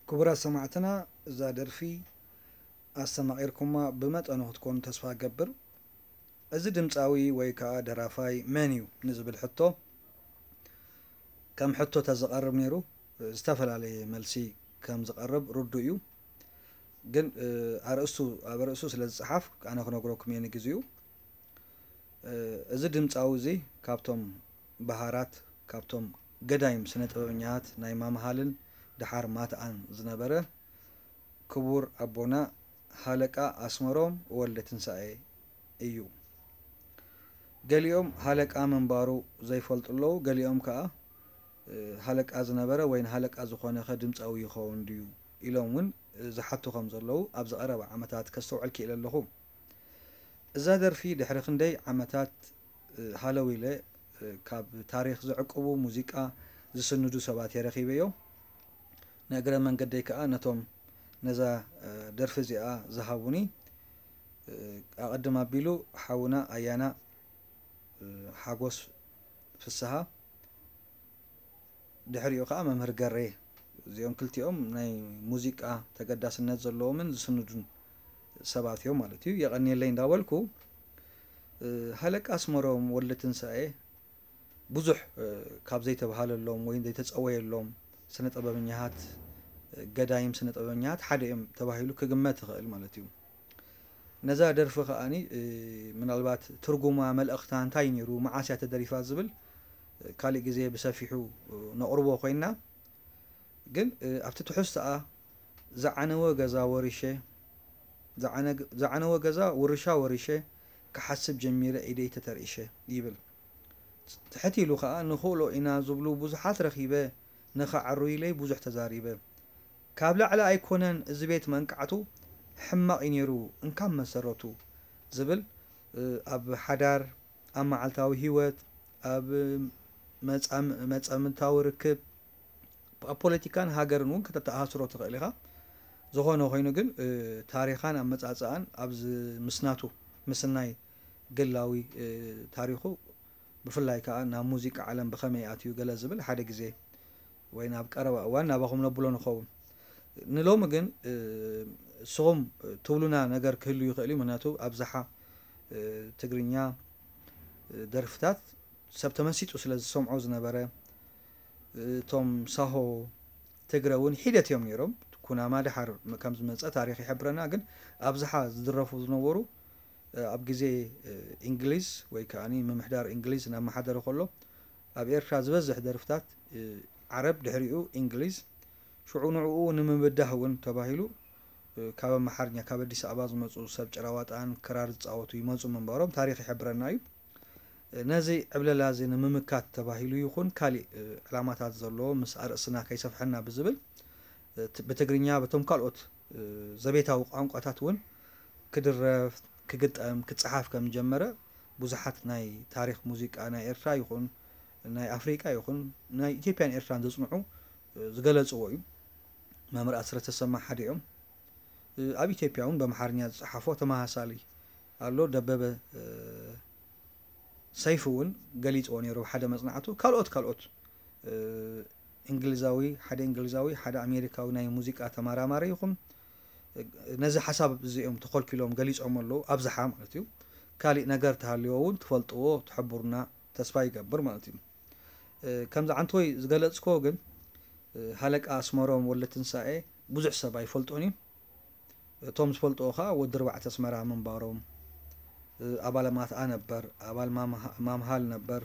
ክቡራት ሰማዕትና፣ እዛ ደርፊ ኣስተማቒርኩማ ብመጠኑ ክትኮኑ ተስፋ እገብር። እዚ ድምጻዊ ወይ ከኣ ደራፋይ መን እዩ ንዝብል ሕቶ፣ ከም ሕቶ ተዝቐርብ ነይሩ፣ ዝተፈላለየ መልሲ ከም ዝቐርብ ርዱእ እዩ። ግን፣ እ፣ ኣርእስቱ፣ ኣብ ኣርእስቱ ስለ ዝጸሓፍ፣ ኣነ ክነግረኩም እየ ንግዚኡ። እ፣ እዚ ድምጻዊ እዚ ካብቶም በሃራት፣ ካብቶም ገዳይም ስነ ጥበበኛታት ናይ ማምሃልን ደሓር ማትኣን ዝነበረ ክቡር ኣቦና ሃለቃ ኣስመሮም ወልደ ትንሳኤ እዩ። ገሊኦም ሃለቃ ምንባሩ ዘይፈልጡ ኣለዉ፣ ገሊኦም ከኣ፣ እ፣ ሃለቃ ዝነበረ ወይ ንሃለቃ ዝኾነ ኸ ድምጻዊ ይኸውን ድዩ ኢሎም እውን፣ እ፣ ዝሓቱ ከም ዘለዉ ኣብዚ ቀረባ ዓመታት ከስተውዕል ክኢለ ኣለኹ። እዛ ደርፊ ድሕሪ ክንደይ ዓመታት፣ እ፣ ሃለው ኢለ፣ እ፣ ካብ ታሪኽ ዝዕቅቡ ሙዚቃ ዝስንዱ ሰባት እየ ረኺበዮ። ንእግረ መንገደይ ከኣ ነቶም ነዛ፣ እ፣ ደርፊ እዚኣ ዝሃቡኒ፣ እ፣ ኣቐድም ኣቢሉ ሓውና ኣያና፣ እ፣ ሓጎስ ፍስሃ፣ ድሕሪኡ ከኣ መምህር ገሬ። እዚኦም ክልቲኦም ናይ ሙዚቃ ተገዳስነት ዘለዎምን ዝስንዱን ሰባት እዮም ማለት እዩ። የቐንየለይ እንዳበልኩ፣ እ፣ ሃለቃ ኣስመሮም ወልደ ትንሳኤ ብዙሕ፣ እ፣ ካብ ዘይተባህለሎም ወይ ዘይተጸወየሎም ስነ ጥበበኛታት፣ እ፣ ገዳይም ስነ ጥበበኛታት ሓደ እዮም ተባሂሉ ክግመት ይኽእል ማለት እዩ። ነዛ ደርፊ ከኣኒ፣ እ፣ ምናልባት ትርጉማ፣ መልእኽታ እንታይ ነይሩ፣ መዓስ እያ ተደሪፋ ዝብል፣ እ፣ ካሊእ ግዜ ብሰፊሑ፣ እ፣ ነቕርቦ ኮይንና። ግን፣ እ፣ ኣብቲ ትሕዝቶኣ፣ ዝዓነወ ገዛ ወሪሸ፣ ዝዓነ-፣ ዝዓነወ ገዛ ውርሻ ወሪሸ፣ ክሓስብ ጀሚረ ኢደይ ተተርኢሸ ይብል። ትሕት ኢሉ ኸኣ፣ ንኽእሎ ኢና ዝብሉ ብዙሓት ረኺበ፣ ንኸዐሩ ኢለይ ብዙሕ ተዛሪበ። ካብ ላዕሊ ኣይኮነን እዚ ቤት መንቃዕቱ፣ ሕማቕ እዩ ነይሩ እንካብ መሰረቱ ዝብል፣ እ፣ ኣብ ሓዳር፣ ኣብ መዓልታዊ ህይወት፣ ኣብ መጻም-፣ መጻምድታዊ ርክብ፣ ኣብ ፖለቲካን ሃገርን እውን ከተተኣሳስሮ ትኽእል ኢኻ። ዝኾነ ኮይኑ ግን፣ እ፣ ታሪኻን ኣመጻጽኣን ኣብዚ ምስናቱ፣ ምስናይ ግላዊ፣ እ፣ ታሪኹ፣ ብፍላይ ከኣ ናብ ሙዚቃ ዓለም ብኸመይ ኣትዩ ገለ ዝብል ሓደ ግዜ ወይ ናብ ቀረባ እዋን ናባኹም ነብሎ ንኸውን። ንሎሚ ግን፣ እ፣ ንስኹም ትብሉና ነገር ክህሉ ይኽእል እዩ። ምኽንያቱ ኣብዝሓ፣ እ፣ ትግርኛ፣ እ፣ ደርፍታት ሰብ ተመሲጡ ስለ ዝሰምዖ ዝነበረ፣ እ፣ እቶም ሳሆ ትግረ እውን ሒደት እዮም ነይሮም። ኩናማ ደሓር ከም ዝመጸ ታሪኽ ይሕብረና። ግን ኣብዝሓ ዝድረፉ ዝነበሩ፣ እ፣ ኣብ ግዜ፣ እ፣ እንግሊዝ ወይ ከኣኒ ምምሕዳር እንግሊዝ እናመሓደረ ከሎ ኣብ ኤርትራ ዝበዝሕ ደርፍታት፣ እ፣ ዓረብ፣ ድሕሪኡ እንግሊዝ፣ ሽዑ ንዕኡ ንምብዳህ እውን ተባሂሉ፣ እ፣ ካብ ኣምሓርኛ፣ ካብ ኣዲስ ኣበባ ዝመጹ ሰብ ጭራዋጣን ክራር ዝጻወቱ ይመጹ ምንባሮም ታሪኽ ይሕብረና እዩ። እ፣ ነዚ ዕብለላ እዚ ንምምካት ተባሂሉ ይኹን ካሊእ፣ እ፣ ዕላማታት ዘለዎ ምስ ኣርእስትና ከይሰፍሐና ብዝብል፣ እ፣ ት-፣ ብትግርኛ በቶም ካልኦት፣ እ፣ ዘቤታዊ ቋንቋታት እውን ክድረፍ፣ ክግጠም፣ ክጸሓፍ ከም ዝጀመረ ብዙሓት ናይ ታሪኽ ሙዚቃ ናይ ኤርትራ ይኹን ናይ ኣፍሪቃ ይኹን ናይ ኢትዮጵያን ኤርትራን ዘጽንዑ፣ እ፣ ዝገለጽዎ እዩ። መምህር ኣስረተ ተሰማ ሓደ እዮም። እ፣ ኣብ ኢትዮጵያ እውን በኣምሓርኛ ዝጸሓፎ ተመሳሳሊ ኣሎ። ደበበ፣ እ፣ ሰይፉ እውን ገሊጽዎ ነይሩ ኣብ ሓደ መጽናዕቱ። ካልኦት፣ ካልኦት፣ እ፣ እንግሊዛዊ፣ ሓደ እንግሊዛዊ፣ ሓደ ኣሜሪካዊ ናይ ሙዚቃ ተመራማሪ ይኹን፣ እ፣ ነዚ ሓሳብ እዚ እዮም ተኾልኪሎም ገሊጾም ኣለዉ፣ ኣብዝሓ ማለት እዩ። ካሊእ ነገር ተሃልዎ እውን ትፈልጥዎ፣ ትሕብሩና ተስፋ ይገብር ማለት እዩ። እ፣ ከምዚ ዓንተወይ ዝገለጽክዎ ግን፣ እ፣ ሃለቃ ኣስመሮም ወልደትንሳኤ ብዙሕ ሰብ ኣይፈልጦን እዩ። እቶም ዝፈልጥዎ ኸኣ ወዲ ኣርባዕተ ኣስመራ ምንባሮም፣ እ፣ ኣባል ማትኣ ነበር፣ ኣባል ማምሃ-፣ ማምሃል ነበር።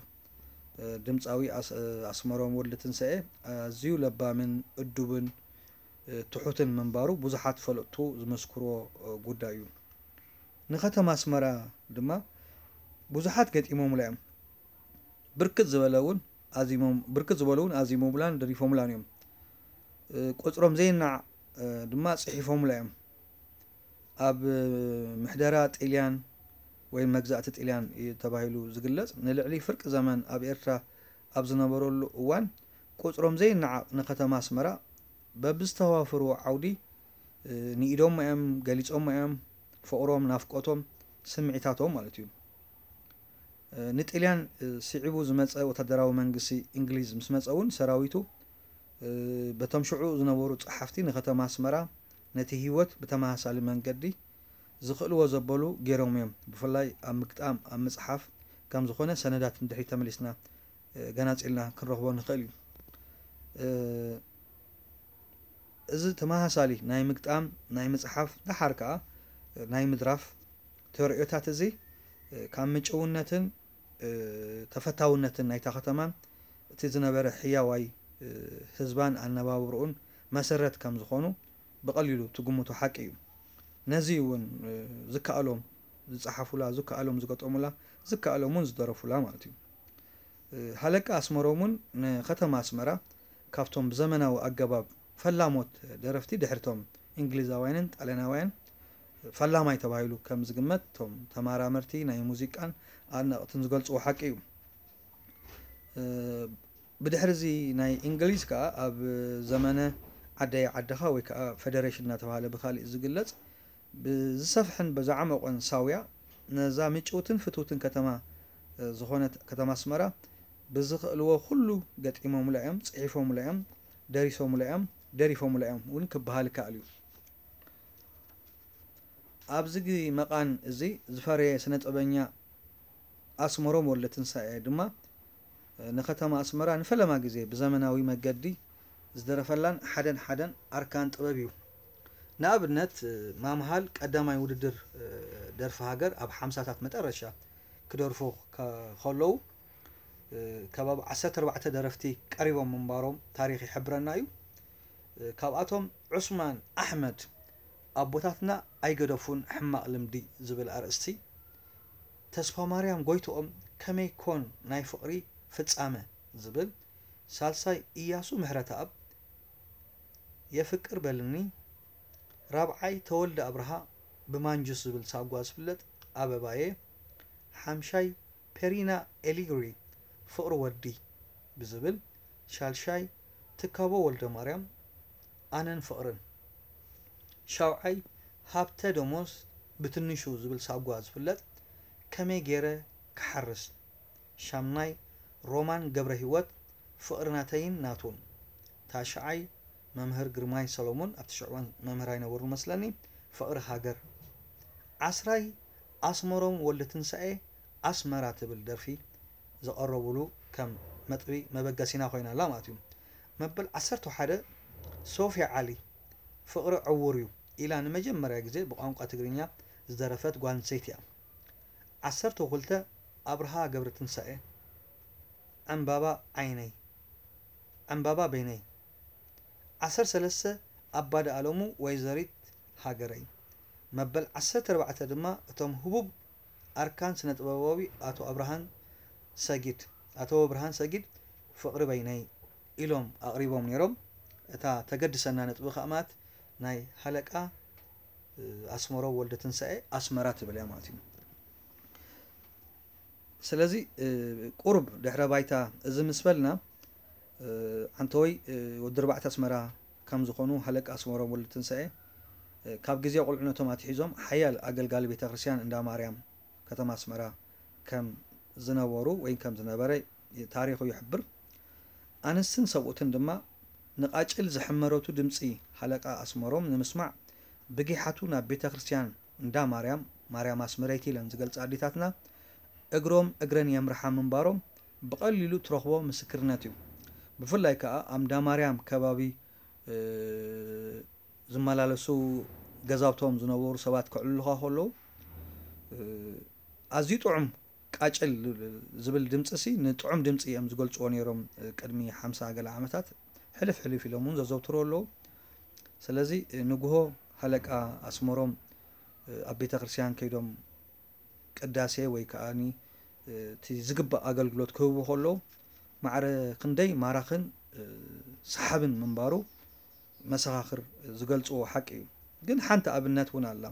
እ፣ ድምጻዊ ኣስ-፣ እ፣ ኣስመሮም ወልደትንሳኤ ኣዝዩ ለባምን እዱብን፣ እ፣ ትሑትን ምንባሩ ብዙሓት ፈለጥቱ ዝመስክርዎ፣ እ፣ ጉዳይ እዩ። ንከተማ ኣስመራ ድማ ብዙሓት ገጢሞምላ እዮም። ብርክት ዝበለ እውን ኣዚሞም-፣ ብርክት ዝበሉ እውን ኣዚሞሙላን ደሪፎሙላን እዮም። እ፣ ቁጽሮም ዘይነዓቕ፣ እ፣ ድማ ጽሒፎሙላ እዮም። ኣብ፣ እ፣ ምሕደራ ጥልያን ወይ መግዛእቲ ጥልያን እዩ ተባሂሉ ዝግለጽ፣ ንልዕሊ ፍርቂ ዘመን ኣብ ኤርትራ ኣብ ዝነበረሉ እዋን፣ ቁጽሮም ዘይነዓቕ ንከተማ ኣስመራ በብዝተዋፈርዎ ዓውዲ፣ እ፣ ንኢዶም እዮም፣ ገሊጾም እዮም፣ ፍቕሮም፣ ናፍቆቶም፣ ስምዒታቶም ማለት እዩ። እ፣ ንጥልያን፣ እ፣ ስዒቡ ዝመጸ ወታደራዊ መንግስቲ እንግሊዝ ምስ መጸ እውን ሰራዊቱ በቶም ሽዑ ዝነበሩ ጸሓፍቲ ንከተማ ኣስመራ ነቲ ህይወት ብተመሳሳሊ መንገዲ ዝኽእልዎ ዘበሉ ገይሮም እዮም። ብፍላይ ኣብ ምግጣም፣ ኣብ ምጽሓፍ ከም ዝኾነ ሰነዳት ንድሕሪት ተመሊስና ገናጺልና ክንረኽቦ ንኽእል እዩ። እዚ ተመሳሳሊ ናይ ምግጣም፣ ናይ ምጽሓፍ፣ ደሓር ከኣ ናይ ምድራፍ ተርእዮታት እዚ ካብ ምጭውነትን ተፈታውነትን ናይታ ከተማን እቲ ዝነበረ ሕያዋይ ህዝባን ኣነባብርኡን መሰረት ከም ዝኾኑ ብቐሊሉ ትግምቶ ሓቂ እዩ። ነዚ እውን ዝከኣሎም ዝጸሓፉላ፣ ዝከኣሎም ዝገጠሙላ፣ ዝከኣሎም እውን ዝደረፉላ ማለት እዩ። ሃለቃ ኣስመሮም እውን ንከተማ ኣስመራ ካብቶም ብዘመናዊ ኣገባብ ፈላሞት ደረፍቲ ድሕርቶም እንግሊዛውያንን ጣልያናውያን ፈላማይ ተባሂሉ ከም ዝግመት እቶም ተመራመርቲ ናይ ሙዚቃን ኣድነቕትን ዝገልጽዎ ሓቂ እዩ። ብድሕሪ እዚ ናይ እንግሊዝ ከኣ ኣብ ዘመነ ዓደይ ዓድኻ ወይ ከኣ ፈደሬሽን እናተባህለ ብካሊእ ዝግለጽ ብዝሰፍሐን ብዝዓመቖን ሳውያ ነዛ ምጭውትን ፍትውትን ከተማ ዝኾነት ከተማ ኣስመራ ብዝኽእልዎ ኩሉ ገጢሞምላ እዮም፣ ጽሒፎምላ እዮም፣ ደሪሶምላ እዮም፣ ደሪፎምላ እዮም እውን ክበሃል ይከኣል እዩ። ኣብዚ መቓን እዚ ዝፈረየ ስነ ጥበበኛ ኣስመሮም ወልደትንሳኤ ድማ ንከተማ ኣስመራ ንፈለማ ግዜ ብዘመናዊ መገዲ ዝደረፈላን ሓደን ሓደን ኣርካን ጥበብ እዩ። ንኣብነት ማምሃል ቀዳማይ ውድድር ደርፊ ሃገር ኣብ ሓምሳታት መጠረሻ ክደርፎ ከለዉ ከባቢ ዓሰርተ ኣርባዕተ ደረፍቲ ቀሪቦም ምንባሮም ታሪኽ ይሕብረና እዩ። ካብኣቶም ዑስማን ኣሕመድ ኣቦታትና ኣይገደፉን ሕማቕ ልምዲ ዝብል ኣርእስቲ፣ ተስፋማርያም ጎይትኦም ከመይ ኮን ናይ ፍቕሪ ፍጻመ ዝብል፣ ሳልሳይ ኢያሱ ምሕረተኣብ የፍቅር በልኒ፣ ራብዓይ ተወልደ ኣብርሃ ብማንጁስ ዝብል ሳጓ ዝፍለጥ ኣበባየ፣ ሓምሻይ ፔሪና ኤሊግሪ ፍቕሪ ወዲ ብዝብል፣ ሻልሻይ ትካቦ ወልደማርያም ኣነን ፍቕርን፣ ሻውዓይ ሃብተ ደሞዝ ብትንሹ ዝብል ሳጓ ዝፍለጥ ከመይ ገይረ ክሓርስ፣ ሻምናይ ሮማን ገብረሂወት ፍቕሪ ናተይን ናቱን፣ ታሽዓይ መምህር ግርማይ ሰሎሞን ኣብቲ ሽዕዋን መምህር ኣይነበሩ መስለኒ ፍቕሪ ሃገር፣ ዓስራይ ኣስመሮም ወልደትንሳኤ ኣስመራ ትብል ደርፊ ዘቐረቡሉ ከም መጥቢ መበገሲና ኮይና ኣላ ማለት እዩ። መበል ዓሰርተ ሓደ ሶፊያ ዓሊ ፍቕሪ ዕዉር እዩ ኢላ ንመጀመርያ ግዜ ብቋንቋ ትግርኛ ዝደረፈት ጓል ኣንስተይቲ እያ። ዓሰርተ ክልተ ኣብርሃ ገብረትንሳኤ ዕምባባ ዓይነይ ዕምባባ በይነይ፣ ዓሰርተ ሰለስተ ኣባዲ ኣለሙ ወይዘሪት ሃገረይ፣ መበል ዓሰርተ ኣርባዕተ ድማ እቶም ህቡብ ኣርካን ስነ ጥበባዊ ኣቶ ኣብርሃን ሰጊድ ኣቶ ብርሃን ሰጊድ ፍቕሪ በይነይ ኢሎም ኣቕሪቦም ነይሮም። እታ ተገድሰና ነጥቢ ከኣ ማለት ናይ ሃለቃ ኣስመሮም ወልደትንሳኤ ኣስመራ ትብል እያ ማለት እዩ። ስለዚ ቁሩብ ድሕረ ባይታ እዚ ምስ በልና፣ ዓንተወይ ወዲ ኣርባዕተ ኣስመራ ከም ዝኾኑ ሃለቃ ኣስመሮም ወልደትንሳኤ ካብ ግዜ ቁልዕነቶም ኣትሒዞም ሓያል ኣገልጋሊ ቤተ ክርስቲያን እንዳ ማርያም ከተማ ኣስመራ ከም ዝነበሩ ወይ ከም ዝነበረ ታሪኹ ይሕብር። ኣንስትን ሰብኡትን ድማ ንቓጭል ዝሕመረቱ ድምጺ ሃለቃ ኣስመሮም ንምስማዕ ብጊሓቱ ናብ ቤተ ክርስቲያን እንዳ ማርያም፣ ማርያም ኣስመረይቲ ኢለን ዝገልጻ ኣዴታትና እግሮም እግረን የምርሓ ምንባሮም ብቐሊሉ ትረኽቦ ምስክርነት እዩ። ብፍላይ ከኣ ኣብ እንዳ ማርያም ከባቢ ዝመላለሱ ገዛውቶም ዝነበሩ ሰባት ከዕልሉኻ ከለዉ ኣዝዩ ጥዑም ቃጭል ዝብል ድምፂ ሲ ንጥዑም ድምፂ እዮም ዝገልፅዎ ነይሮም። ቅድሚ ሓምሳ ገለ ዓመታት ሕልፍ ሕልፍ ኢሎም እውን ዘዘውትሩ ኣለዉ። ስለዚ ንግሆ ሃለቃ ኣስመሮም ኣብ ቤተ ክርስቲያን ከይዶም ቅዳሴ ወይ ከዓ እቲ ዝግባእ ኣገልግሎት ክህቡ ከለዉ ማዕረ ክንደይ ማራኽን ሰሓብን ምንባሩ መሰኻኽር ዝገልፅዎ ሓቂ እዩ። ግን ሓንቲ ኣብነት እውን ኣላ።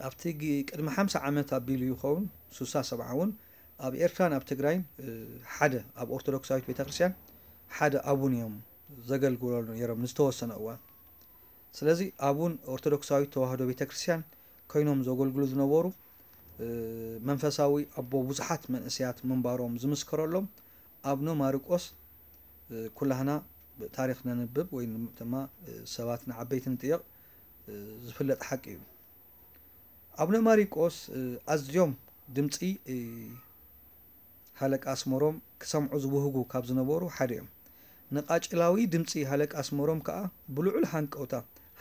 ኣብቲ ቅድሚ ሓምሳ ዓመት ኣቢሉ ይኸውን ሱሳ ሰብዓ እውን ኣብ ኤርትራን ኣብ ትግራይን ሓደ ኣብ ኦርቶዶክሳዊት ቤተክርስትያን ሓደ ኣቡን እዮም ዘገልግሉ ነይሮም ንዝተወሰነ እዋን። ስለዚ ኣቡን ኦርቶዶክሳዊት ተዋህዶ ቤተክርስትያን ኮይኖም ዘገልግሉ ዝነበሩ መንፈሳዊ ኣቦ ብዙሓት መንእሰያት ምንባሮም ዝምስከረሎም ኣቡነ ማርቆስ ኩላህና ታሪኽ ነንብብ ወይ ድማ ሰባት ንዓበይቲ ንጥየቕ ዝፍለጥ ሓቂ እዩ። ኣቡነ ማሪቆስ ኣዝዮም ድምፂ ሃለቃ ኣስመሮም ክሰምዑ ዝብህጉ ካብ ዝነበሩ ሓደ እዮም። ንቃጭላዊ ድምፂ ሃለቃ ኣስመሮም ከዓ ብልዑል ሃንቀውታ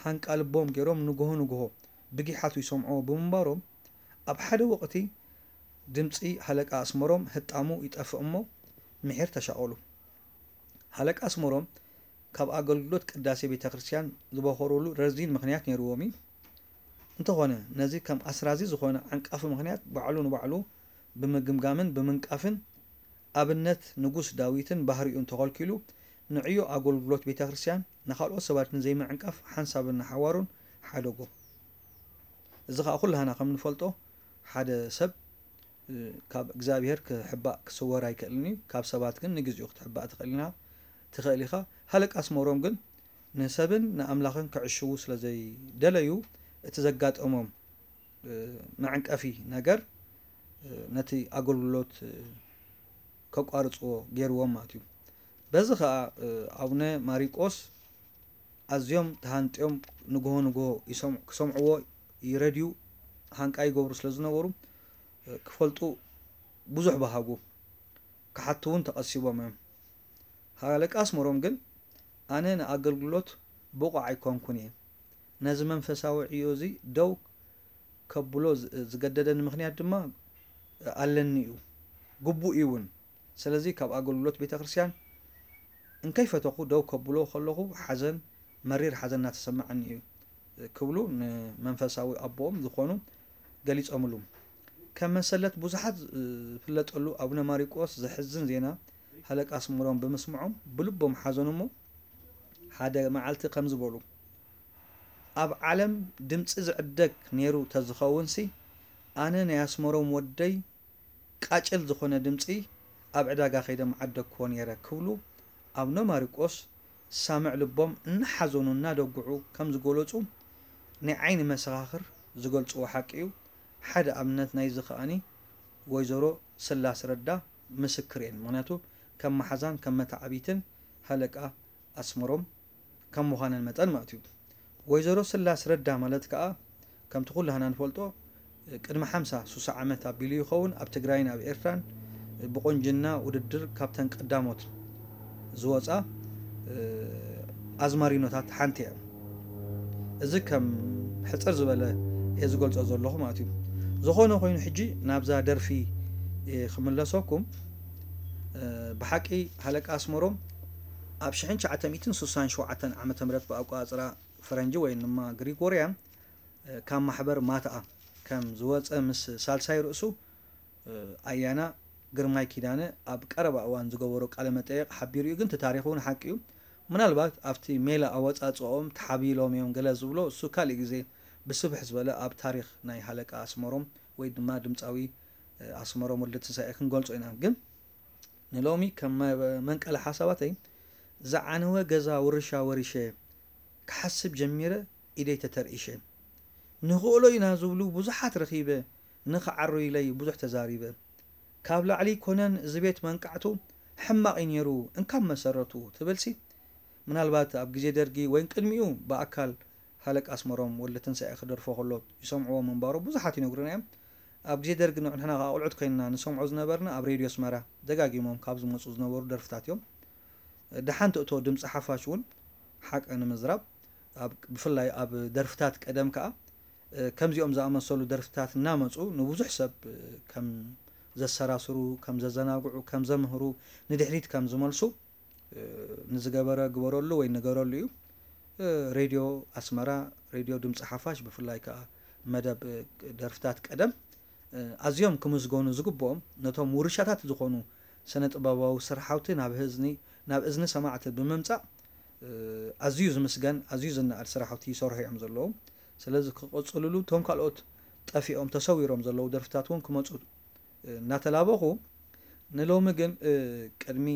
ሃንቃ ልቦም ገይሮም ንግሆ ንግሆ ብጊሓቱ ይሰምዕዎ ብምንባሮም ኣብ ሓደ ወቕቲ ድምፂ ሃለቃ ኣስመሮም ህጣሙ ይጠፍእ እሞ ምሒር ተሻቐሉ። ሃለቃ ኣስመሮም ካብ ኣገልግሎት ቅዳሴ ቤተ ክርስቲያን ዝበኾሩሉ ረዚን ምኽንያት ነይርዎም እዩ። እንተኾነ ነዚ ከም ኣስራዚ ዝኾነ ዓንቃፊ ምኽንያት ባዕሉ ንባዕሉ ብምግምጋምን ብምንቃፍን ኣብነት ንጉስ ዳዊትን ባህሪኡን ተኸልኪሉ ንዕዮ ኣገልግሎት ቤተ ክርስቲያን ንኻልኦት ሰባት ንዘይምዕንቃፍ ሓንሳብን ንሓዋሩን ሓደጎ። እዚ ከዓ ኩላህና ከም ንፈልጦ ሓደ ሰብ ካብ እግዚኣብሔር ክሕባእ ክስወር ኣይክእልን እዩ። ካብ ሰባት ግን ንግዚኡ ክትሕባእ ትኽእል ኢና ትኽእል ኢኻ። ሃለቃ ኣስመሮም ግን ንሰብን ንኣምላኽን ክዕሽዉ ስለ ዘይደለዩ እቲ ዘጋጠሞም መዕንቀፊ ነገር ነቲ ኣገልግሎት ከቋርፅዎ ገይርዎም ማለት እዩ። በዚ ከዓ ኣቡነ ማሪቆስ ኣዝዮም ተሃንጥዮም ንግሆ ንግሆ ክሰምዕዎ ይረድዩ ሃንቃ ይገብሩ ስለ ዝነበሩ ክፈልጡ ብዙሕ በሃጉ። ክሓቱ እውን ተቐሲቦም እዮም። ሃለቃ ኣስመሮም ግን ኣነ ንኣገልግሎት ብቑዕ ኣይኮንኩን እየ። ነዚ መንፈሳዊ ዕዮ እዚ ደው ከብሎ ዝገደደኒ ምኽንያት ድማ ኣለኒ እዩ፣ ግቡእ እዩ እውን። ስለዚ ካብ ኣገልግሎት ቤተ ክርስቲያን እንከይፈተኹ ደው ከብሎ ከለኹ ሓዘን፣ መሪር ሓዘን እናተሰማዓኒ እዩ ክብሉ ንመንፈሳዊ ኣቦኦም ዝኾኑ ገሊጾምሉ። ከም መሰለት ብዙሓት ዝፍለጠሉ ኣቡነ ማሪቆስ ዘሕዝን ዜና ሃለቃ ኣስመሮም ብምስምዖም ብልቦም ሓዘኑ እሞ ሓደ መዓልቲ ከምዚ በሉ፣ ኣብ ዓለም ድምፂ ዝዕደግ ነይሩ ተዝኸውን ሲ ኣነ ናይ ኣስመሮም ወደይ ቃጭል ዝኾነ ድምፂ ኣብ ዕዳጋ ከይደ ምዓደግክዎ ነይረ ክብሉ ኣቡነ ማሪቆስ ሳምዕ ልቦም እናሓዘኑ እናደጉዑ ከም ዝገለፁ ናይ ዓይኒ መሰኻኽር ዝገልፅዎ ሓቂ እዩ። ሓደ ኣብነት ናይዚ ከኣኒ ወይዘሮ ስላስ ረዳ ምስክር እየን። ምክንያቱ ከም መሓዛን ከም መተዓቢትን ሃለቃ ኣስመሮም ከም ምዃነን መጠን ማለት እዩ። ወይዘሮ ስላስ ረዳ ማለት ከዓ ከምቲ ኩላህና ንፈልጦ ቅድሚ ሓምሳ ሱሳ ዓመት ኣቢሉ ይኸውን ኣብ ትግራይን ኣብ ኤርትራን ብቆንጅና ውድድር ካብተን ቀዳሞት ዝወፃ ኣዝማሪኖታት ሓንቲ እያ። እዚ ከም ሕፅር ዝበለ እየ ዝገልፆ ዘለኹ ማለት እዩ። ዝኾነ ኮይኑ ሕጂ ናብዛ ደርፊ ክምለሰኩም። ብሓቂ ሃለቃ ኣስመሮም ኣብ ሽሕን ትሽዓተ ሚእትን ስሳን ሸውዓተን ዓመተ ምህረት ብኣቆፃፅራ ፈረንጂ ወይ ድማ ግሪጎርያን ካብ ማሕበር ማትኣ ከም ዝወፀ ምስ ሳልሳይ ርእሱ ኣያና ግርማይ ኪዳነ ኣብ ቀረባ እዋን ዝገበሮ ቃለ መጠየቕ ሓቢሩ እዩ። ግን እቲ ታሪኽ እውን ሓቂ እዩ። ምናልባት ኣብቲ ሜላ ኣወፃፅኦም ተሓቢሎም እዮም ገለ ዝብሎ እሱ ካልእ ግዜ ብስፍሕ ዝበለ ኣብ ታሪኽ ናይ ሃለቃ ኣስመሮም ወይ ድማ ድምፃዊ ኣስመሮም ወልደትንሳኤ ክንገልፆ ኢና። ግን ንሎሚ ከም መንቀሊ ሓሳባተይ ዝዓነወ ገዛ ውርሻ ወሪሸ ክሓስብ ጀሚረ ኢደይ ተተርኢሸ። ንኽእሎ ኢና ዝብሉ ብዙሓት ረኺበ፣ ንኽዓሩ ኢለይ ብዙሕ ተዛሪበ። ካብ ላዕሊ ኮነን እዚ ቤት መንቃዕቱ ሕማቕ እዩ ነይሩ እንካብ መሰረቱ ትብልሲ ምናልባት ኣብ ግዜ ደርጊ ወይን ቅድሚኡ ብኣካል ሃለቃ ኣስመሮም ወልደትንሳኤ ክደርፎ ከሎ ይሰምዕዎ ምንባሩ ብዙሓት ይነግሩና እዮም። ኣብ ግዜ ደርጊ ንሕና ከዓ ቆልዑት ኮይንና ንሰምዖ ዝነበርና ኣብ ሬድዮ ኣስመራ ደጋጊሞም ካብ ዝመፁ ዝነበሩ ደርፍታት እዮም። ደሓን ትእቶ ድምፂ ሓፋሽ እውን ሓቂ ንምዝራብ ብፍላይ ኣብ ደርፍታት ቀደም ከዓ ከምዚኦም ዝኣመሰሉ ደርፍታት እናመፁ ንብዙሕ ሰብ ከም ዘሰራስሩ፣ ከም ዘዘናግዑ፣ ከም ዘምህሩ፣ ንድሕሪት ከም ዝመልሱ ንዝገበረ ግበረሉ ወይ ንገረሉ እዩ። ሬድዮ ኣስመራ፣ ሬድዮ ድምፂ ሓፋሽ ብፍላይ ከዓ መደብ ደርፍታት ቀደም ኣዝዮም ክምስገኑ ዝግብኦም ነቶም ውርሻታት ዝኾኑ ስነ ጥበባዊ ስርሓውቲ ናብ ህዝኒ ናብ እዝኒ ሰማዕቲ ብምምፃእ ኣዝዩ ዝምስገን ኣዝዩ ዝነኣድ ስራሕቲ ይሰርሑ እዮም ዘለዉ። ስለዚ ክቕፅልሉ እቶም ካልኦት ጠፊኦም ተሰዊሮም ዘለዉ ደርፍታት እውን ክመፁ እናተላበኹ ንሎሚ ግን ቅድሚ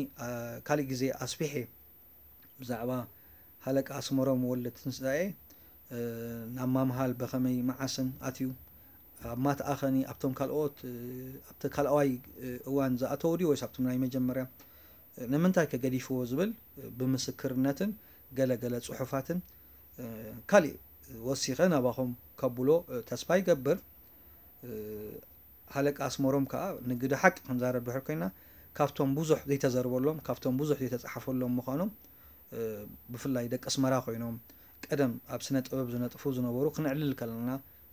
ካልእ ግዜ ኣስፊሐ ብዛዕባ ሃለቃ ኣስመሮም ወልደትንሳኤ ናብ ማምሃል በኸመይ መዓስን ኣትዩ ኣብ ማትኣኸኒ ኣብቶም ካልኦት ኣብቲ ካልኣዋይ እዋን ዝኣተዉ ድዩ ወይስ ኣብቶም ናይ መጀመርያ ንምንታይ ከ ገዲፍዎ ዝብል ብምስክርነትን ገለ ገለ ጽሑፋትን፣ እ፣ ካሊእ ወሲኸ ናባኹም ከብሎ፣ እ፣ ተስፋ ይገብር። እ፣ ሃለቃ ኣስመሮም ከኣ ንግደ ሓቂ ክንዛረብ ድሕር ኮይና፣ ካብቶም ብዙሕ ዘይተዘርበሎም፣ ካብቶም ብዙሕ ዘይተጻሓፈሎም ምዃኖም፣ እ፣ ብፍላይ ደቂ ኣስመራ ኮይኖም ቀደም ኣብ ስነ ጥበብ ዝነጥፉ ዝነበሩ ክነዕልል ከለና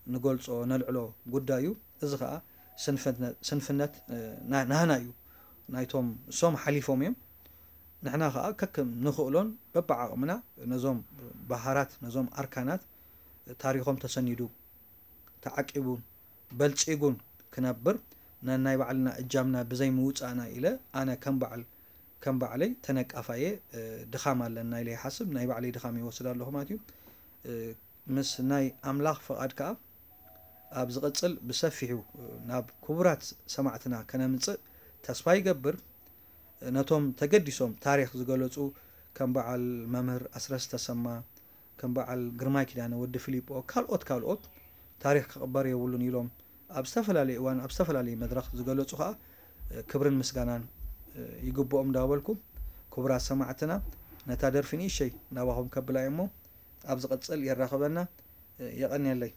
ንገልጾ፣ ነልዕሎ ጉዳይ እዩ። እዚ ከኣ ስንፍነ-፣ ስንፍነት፣ እ፣ ና-፣ ናህና እዩ። ናይቶም እሶም ሓሊፎም እዮም። ንሕና ከኣ ከከም ንኽእሎን በብዓቕምና ነዞም በሃራት፣ ነዞም ኣርካናት ታሪኾም ተሰኒዱ፣ ተዓቂቡን በልጺጉን ክነብር ነናይ ባዕልና እጃምና ብዘይ ምውጻእና ኢለ ኣነ ከም በዓል፣ ከም ባዕለይ ተነቃፋየ፣ እ፣ ድኻም ኣለና ኢለ ይሓስብ። ናይ ባዕለይ ድኻም ይወስድ ኣለኹ ማለት እዩ። እ፣ ምስ ናይ ኣምላኽ ፍቓድ ከኣ ኣብ ዝቕጽል ብሰፊሑ ናብ ክቡራት ሰማዕትና ከነምጽእ ተስፋ ይገብር። ነቶም ተገዲሶም ታሪኽ ዝገለጹ ከም በዓል መምህር ኣስረስ ተሰማ፣ ከም በዓል ግርማይ ኪዳነ፣ ወዲ ፊሊጶ፣ ካልኦት ካልኦት ታሪኽ ክቕበር የብሉን ኢሎም ኣብ ዝተፈላለየ እዋን ኣብ ዝተፈላለየ መድረኽ ዝገለጹ ከኣ ክብርን ምስጋናን ይግብኦም እንዳበልኩ፣ ክቡራት ሰማዕትና፣ ነታ ደርፊ ንእሸይ ናባኹም ከብላ እየ እሞ ኣብ ዝቕጽል የራኽበና። የቐንየለይ።